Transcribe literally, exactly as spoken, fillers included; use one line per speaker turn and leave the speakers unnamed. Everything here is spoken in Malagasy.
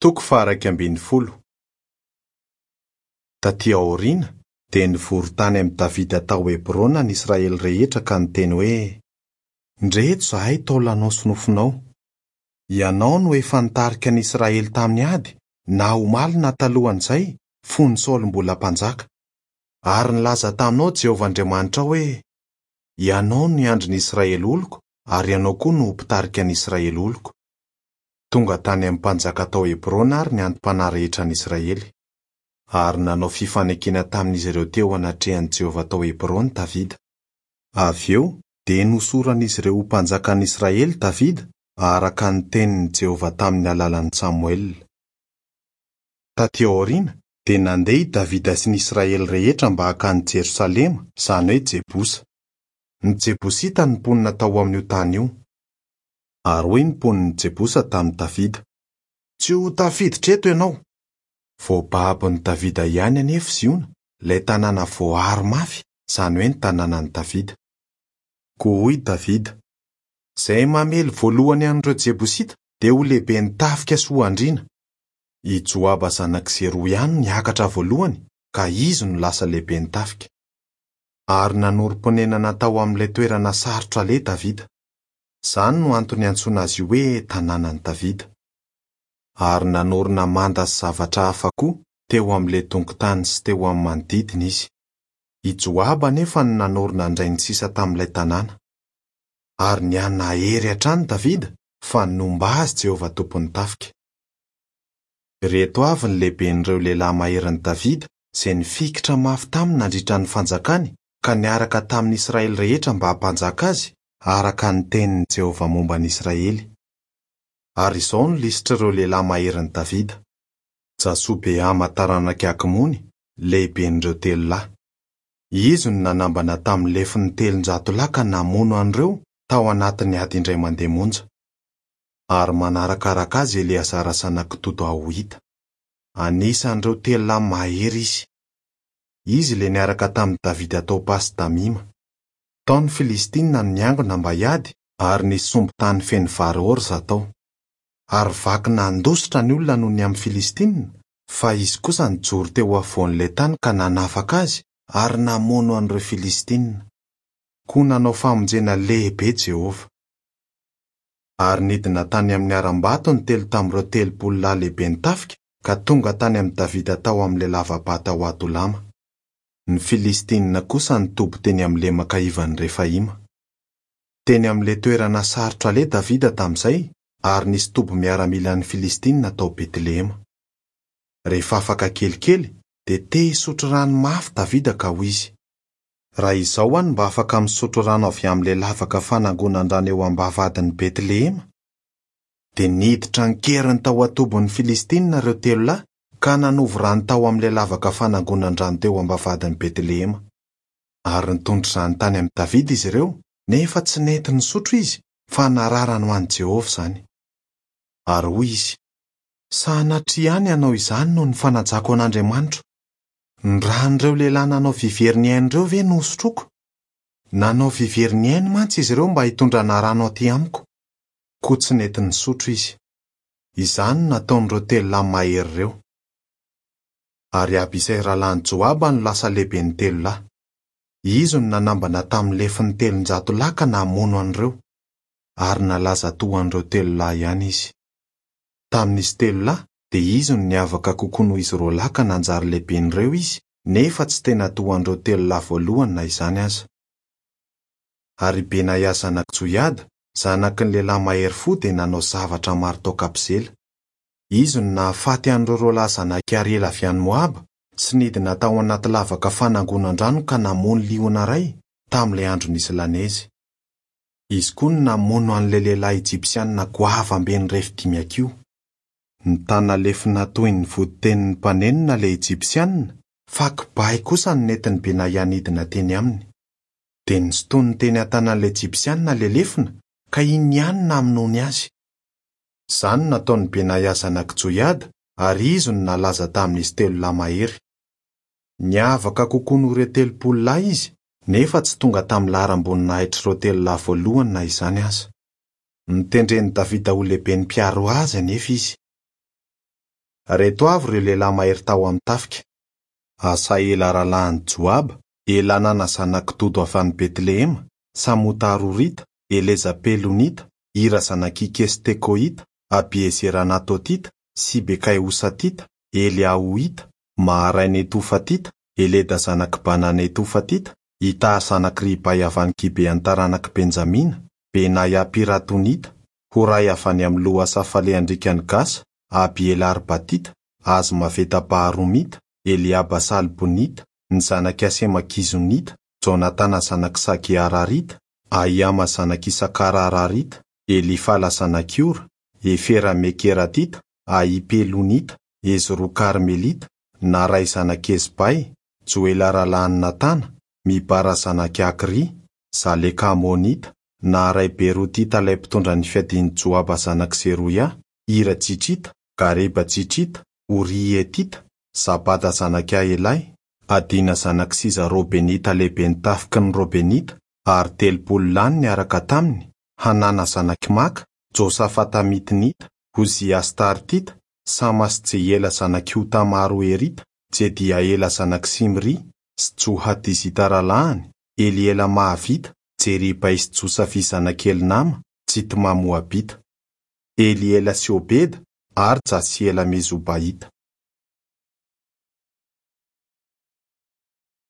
Toko faha-iraika ambin'ny folo. Tatỳ aoriana dia nivory tany amin'i Davida tao Hebrona ny Israely rehetra ka niteny hoe: "Ndreto izahay taolanao sy nofonao. Ianao no efa nitarika ny Israely tamin'ny ady, na omaly na talohan'izay, fony Saoly mbola mpanjaka. Ary nilaza taminao Jehovah Andriamanitrao hoe: Ianao no hiandry ny Israely oloko, ary ianao koa no ho mpitarika ny Israely oloko." Tonga tany amin'ny mpanjaka tao Hebrona àry ny anti-panahy rehetra an'ny Israely. Ary nanao fifanekena tamin'izy ireo teo anatrehan'i Jehovah tao Hebrona Davida. Avy eo dia nosoran'izy ireo ho mpanjakan'ny Israely Davida, araka ny tenin'i Jehovah tamin'ny alalan'i Samoela. Tatỳ aoriana dia nandeha i Davida sy ny Israely rehetra mba hankany Jerosalema, izany hoe Jebosa. Ny Jebosita no mponina tao amin'io tany io. Ary hoy ny mponin'i Jebosa tamin'i Davida: "Tsy ho tafiditra eto ianao." Voababon'i Davida ihany anefa Ziona, ilay tanàna voaaro mafy, izany hoe ny tanànan'i Davida. Koa hoy Davida: "Izay mamely voalohany an'ireo Jebosita dia ho lehiben'ny tafika sy ho andriana." I Joaba zanak'i Zeroa ihany no niakatra voalohany, ka izy no lasa lehiben'ny tafika. Ary nanorim-ponenana tao amin'ilay toerana sarotra aleha Davida. Izany no antony iantsoana azy io hoe tanànan'i Davida. Ary nanorina manda sy zavatra hafa koa teo amin'ilay dongon-tany sy teo amin'ny manodidina izy. I Joaba anefa no nanorina indray ny sisa tamin'ilay tanàna. Ary nihanahery hatrany Davida, fa nomba azy Jehovah Tompon'ny tafika. Ireto avy ny lehiben'ireo lehilahy maherin'i Davida izay nifikitra mafy taminy nandritra ny fanjakany ka niaraka tamin'ny Israely rehetra mba hampanjaka azy, araka ny tenin'i Jehovah momba ny Israely. Ary izao no lisitr'ireo lehilahy maherin'i Davida: Jasobeama taranak'i Hakmony, lehiben'ireo telo lahy. Izy no nanambana tamin'ny lefiny telonjato lahy ka namono an'ireo tao anatin'ny ady indray mandeha monja. Ary manarakaraka azy Eleazara zanak'i Dodo Ahohita. Anisan'ireo telo lahy mahery izy. Izy ilay niaraka tamin'i Davida tao Pasdamima. Tao ny Filistinina no niangona mba hiady, ary nisy sombin-tany feno vary orza tao. Ary vaky nandositra ny olona noho ny amin'ny Filistinina, fa izy kosa nijoro teo afovoan'ilay tany ka nanafaka azy ary namono an'ireo Filistinina. Koa nanao famonjena lehibe Jehovah. Ary nidina tany amin'ny harambato ny telo tamin'ireo telopolo lahy lehiben'ny tafika ka tonga tany amin'i Davida tao amin'ilay lava-bato ao Adolama. Ny Filistinina kosa nitoby teny amin'ny lemaka ivan'i Refaima. Teny amin'ilay toerana sarotra aleha Davida tamin'izay, ary nisy toby miaramilan'ny Filistinina tao Betlehema. Rehefa afaka kelikely dia te hisotro rano mafy Davida ka hoy izy: "Raha izao aho no mba afaka misotro rano avy amin'ilay lavaka fanangonan-drano eo am-bavahadin'i Betlehema." Dia niditra an-keriny tao an-tobin'ny Filistinina ireo telo lahy ka nanovo rano tao amin'ilay lavaka fanangonan-drano teo am-bavahadin'i Betlehema. Ary nitondra izany tany amin'i Davida izy ireo, nefa tsy nety nisotro izy, fa nararany ho an'i Jehovah izany. Ary hoy izy: "Sanatria ihany hanao izany noho ny fanajako an'Andriamanitro. Ny ran'ireo lehilahy nanao vivery ny ainy ireo ve no hosotroiko? Nanao vivery ny ainy mantsy izy ireo mba hitondrana rano aty amiko." Koa tsy nety nisotro izy. Izany no nataon'ireo telo lahy mahery ireo. Ary Abisay rahalahin'i Joaba no lasa lehiben'ny telo lahy. Izy no nanambana tamin'ny lefiny telonjato lahy ka namono an'ireo. Ary nalaza toa an'ireo telo lahy ihany izy. Tamin'izy telo lahy dia izy no niavaka kokoa noho izy roa lahy ka nanjary lehiben'ireo izy, nefa tsy tena toa an'ireo telo lahy voalohany na izany aza. Ary Benaia zanak'i Joiada, zanaky ny lehilahy mahery fo, dia nanao zavatra maro tao Kabzela. Izy no nahafaty an'ireo roa lahy zanak'i Ariela avy any Moaba sy nidina tao anaty lavaka fanangonan-drano ka namono liona iray tamin'ilay andro nisy lanezy. Izy koa no namono an'ilay lehilahy ejipsianina goavambe nirefy dimy hakiho. Nitana lefona toy ny voditenin'ny mpanenona ilay ejipsianina, fa kibay kosa no nentin'i Benaia nidina teny aminy. Dia nosintoniny teny an-tanan'ilay ejipsianina ilay lefona, ka iny ihany no namonoany azy. Izany no nataon'i Benaia zanak'i Joiada, ary izy no nalaza tamin'izy telo lahy mahery. Niavaka kokoa noho ireo telopolo lahy izy, nefa tsy tonga tamin'ny laharam-boninahitr'ireo telo lahy voalohany na izany aza. Notendren'i Davida ho lehiben'ny mpiaro azy anefa izy. Reto avy ireo lehilahy mahery tao amin'ny tafika: Asaela rahalahin'i Joaba, Elanana zanak'i Dodo avy any Betlehema, Samota Arorita, Eleza Pelonita, Ira zanak'i Kestekoita, Abiezera Anatotita, Sibekay Hosatita, Eliahoita, Maharay Netofatita, Eleda zanak'i Bana Netofatita, Itaha zanak'i Ribay avy any Gibean'ny taranak'i Benjamina, Benaia Piratonita, Horay avy any amin'ny lohasaha falehan-driakan'i Gasa, Abiela Arbatita, Azmaveta Baharomita, Eliaba Salbonita, ny zanak'i Asema Gizonita, Jonatana zanak'i Sage Ararita, Ahiama zanak'i Isakara Ararita, Elifala zanak'i Ora, Efera Mekeratita, Ahipelonita, Ezro Karmelita, Naray zanak'i Ezbay, Joela rahalahin'i Natana, Mibara zanak'i Akry, Zaleka Amonita, Naharay Berotita ilay mpitondra ny fiadian'i Joaba zanak'i Zeroia, Ira Jitrita, Gareba Jitrita, Oria Hetita, Zabada zanak'i Ahelay, Adina zanak'i Siza Robenita lehiben'ny tafiky ny Robenita, ary telopolo lahy niaraka taminy, Hanana zanak'i Maka, Josafata Mitnita, Ozia Astartita, Samasy Jehiela zanak'i Hotama Aroerita, Jediaela zanak'i Simri, sy Johadizita rahalahiny, Eliela Mahavita, Jeribay sy Josafia zanak'i Elnama, Jitma Moabita, Eliela sy Obeda ary Jasiela Mezobaita.